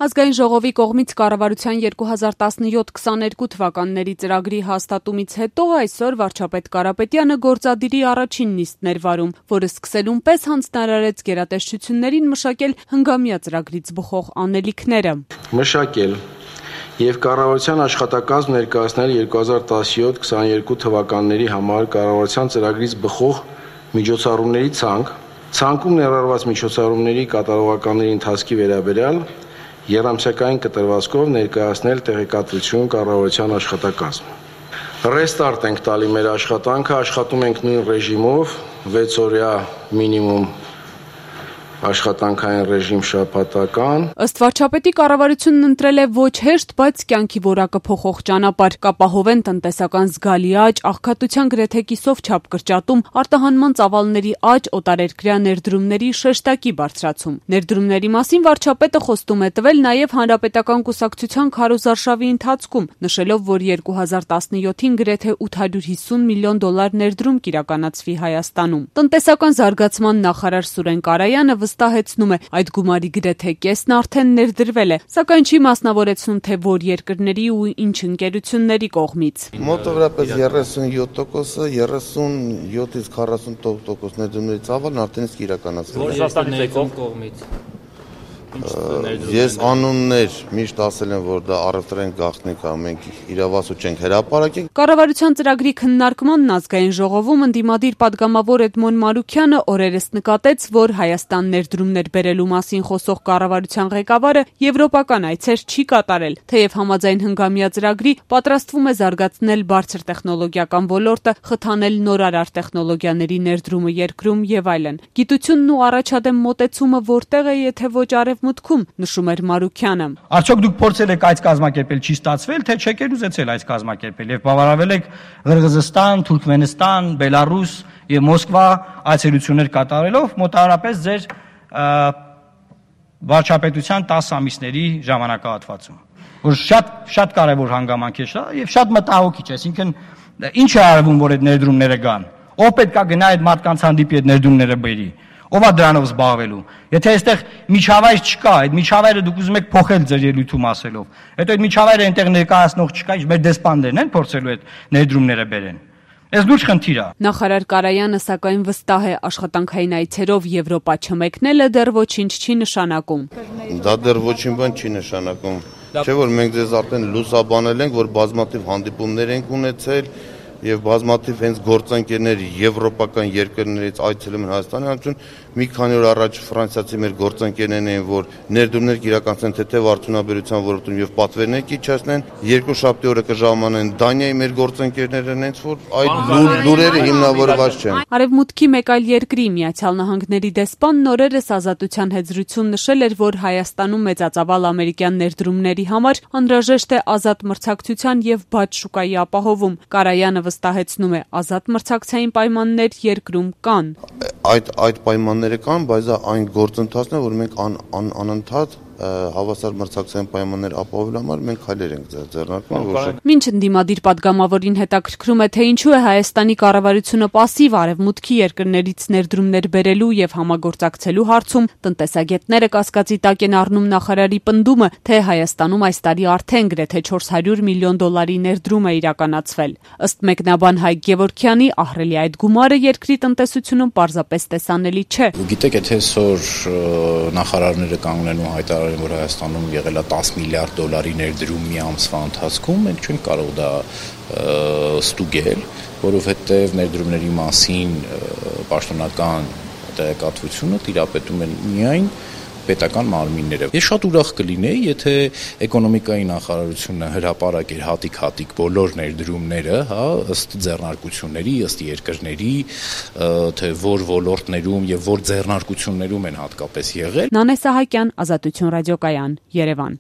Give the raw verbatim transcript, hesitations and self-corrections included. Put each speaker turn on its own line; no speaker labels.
Ազգային ժողովի կողմից կառավարության երկու հազար տասնյոթ քսաներկու թվականների ծրագրի հաստատումից հետո այսօր վարչապետ Կարապետյանը գործադիրի առաջին նիստն էր վարում, որը սկսելուն պես հանձնարարեց գերատեսչություններին մշակել հնգամյա ծրագրից բխող անելիքները։
Մշակել եւ կառավարության աշխատակազմ ներկայացնել երկու հազար տասնյոթ քսաներկու թվականների համար կառավարության ծրագրից բխող միջոցառումների ցանկ, ցանկում ներառված միջոցառումների կատարողականների ընթացքի վերաբերյալ երամսյակային կտրվածքով ներկայացնել տեղեկատվություն կառավարության աշխատակազմ։ Ռեստարտ ենք տալի մեր աշխատանքը, աշխատում ենք նույն ռեժիմով, վեց օրյա մինիմում աշխատանքային ռեժիմ շաբաթական։
Ըստ վարչապետի կառավարությունն ընտրել է ոչ հեշտ, բայց կյանքի որակը փոխող ճանապարհ, կապահովեն տնտեսական զգալի աճ, աղքատության գրեթե կիսով չափ կրճատում, արտահանման ծավալների աճ, օտարերկրյա ներդրումների շեշտակի բարձրացում։ Ներդրումների մասին վարչապետը խոստում է տվել նաև Հանրապետական կուսակցության քարոզարշավի ընթացքում, նշելով, որ երկու հազար տասնյոթին գրեթե ութ հարյուր հիսուն միլիոն դոլար ներդրում կիրականացվի Հայաստանում։ Տնտեսական զարգացման նախարար Սուրեն Կարայանը վստահեցնում է, այդ գումարի գրեթե կեսն արդեն ներդրվել է, սակայն չի մասնավորեցնում, թե որ երկրների ու ինչ ընկերությունների կողմից։
Մոտավորապես երեսունյոթ տոկոսը, երեսունյոթից քառասուն տոկոս ներդրումների ծավալն արդեն իսկ իրականացվել է։
Որ Ռուսաստանից կողմից։
Ես անուններ միշտ ասել եմ, որ դա առևտրային գաղտնիք է, մենք իրավասու չենք հրապարակել։
Կառավարության ծրագրի քննարկմանն ազգային ժողովում ընդդիմադիր падգամավոր Էդմոն Մարուքյանը օրերս նկատեց, որ Հայաստան ներդրումներ բերելու մասին խոսող կառավարության ղեկավարը եվրոպական այցեր չի կատարել, թեև համաձայն հնգամյա ծրագրի պատրաստվում է զարգացնել բարձր տեխնոլոգիական ոլորտը, խթանել նորարար տեխնոլոգիաների ներդրումը երկրում եւ այլն։ Գիտությունն ու առաջադեմ մոտեցումը որտեղ է, եթե ոչ արևմուտքում, նշում էր Մարուքյանը։
Արդյոք դուք փորձել եք այս կազմակերպել, չի ստացվել, թե չեք ուզեցել այս կազմակերպել եւ բավարարվել եք Ղրղզստան, Թուրքմենստան, Բելարուս եւ Մոսկվա այցելություններ կատարելով մոտավորապես ձեր վարչապետության տասը ամիսների ժամանակահատվածում, որ շատ շատ կարևոր հանգամանք է դա եւ շատ մտահոգիչ է, այսինքն ինչ է արվում, որ այդ ներդրումները գան, ով պետք է գնա այդ մարդկանց հանդիպի այդ ներդրումները բերի, ով է դրանով զբաղվելու, եթե այստեղ միջավայր չկա, այդ միջավայրը դուք ուզում եք փոխել ձեր ելույթում ասելով, հետո այդ միջավայրը այնտեղ ներկայացնող չկա, ինչ մեր դեսպաններն են փորձելու այդ ներդրումները բերեն։ Այս լուրջ խնդիր է։
Նախարար Կարայանը սակայն վստահ է, աշխատանքային այցերով Եվրոպա չմեկնելը դեռ ոչինչ չի նշանակում։
Դա դեռ ոչինչ բան չի նշանակում։ Չէ՞ որ մենք ձեզ արդեն լուսաբանել ենք, որ բազմաթիվ հանդիպումներ ենք ունեցել եւ բազմաթիվ հենց գործընկերներ եվրոպական երկրներից այցելում են Հայաստանի Հանրություն, մի քանի օր առաջ ֆրանսիացի մեր գործընկերներն էին, որ ներդրումներ կիրականացնեն թեթև արդյունաբերության ոլորտում եւ պատվերներ կիչացնեն, երկու շաբթի օրը կժամանեն Դանիայի մեր գործընկերները, հենց որ այդ լուրերը հիմնավորված չեն։
Արևմուտքի մեկ այլ երկրի Միացյալ Նահանգների դեսպան նորերս Ազատության հետ զրույցում նշել էր, որ Հայաստանում մեծածավալ ամերիկյան ներդրումների համար անհրաժեշտ է ազատ մրցակցության եւ բաց շուկայի ապահովում։ Կարայանը վստահեցնում է, ազատ մրցակցային պայմաններ երկրում կան։
Այդ այդ պայմանները կան, բայց այն գործընթացն է, որ մենք ան, ան, անընդհատ հավասար մրցակցային պայմաններ ապահովելու համար մենք քայլեր ենք ձեռնարկում, որ
Մինչ ընդդիմադիր падգամավորին հետաքրքրում է, թե ինչու է Հայաստանի կառավարությունը պասիվ արևմուտքի երկրներից ներդրումներ բերելու եւ համագործակցելու հարցում, տնտեսագետները կասկածի տակ են առնում նախարարի պնդումը, թե Հայաստանում այս տարի արդեն գրեթե չորս հարյուր միլիոն դոլարի ներդրում է իրականացվել։ Ըստ մեկնաբան Հայկ Գևորգյանի, ահռելի այդ գումարը երկրի տնտեսությունում պարզապես տեսանելի չէ։
Գիտեք, եթե այսօր նախարարները կանգնեն ու հայտարարեն, որ Հայաստանում եղել է տասը միլիարդ դոլարի ներդրում մի ամսվա ընթացքում, մենք չենք կարող դա ստուգել, որովհետև ներդրումների մասին պաշտոնական տեղեկատվությունը տիրապետում են միայն պետական մարմինները։ Ես շատ ուրախ կլինեի, եթե էկոնոմիկայի նախարարությունը հրապարակեր հատիկ-հատիկ բոլոր ներդրումները, հա, ըստ ձեռնարկությունների, ըստ երկրների, թե որ ոլորտներում եւ որ ձեռնարկություններում են հատկապես եղել։
Նանե Սահակյան, Ազատություն ռադիոկայան, Երևան։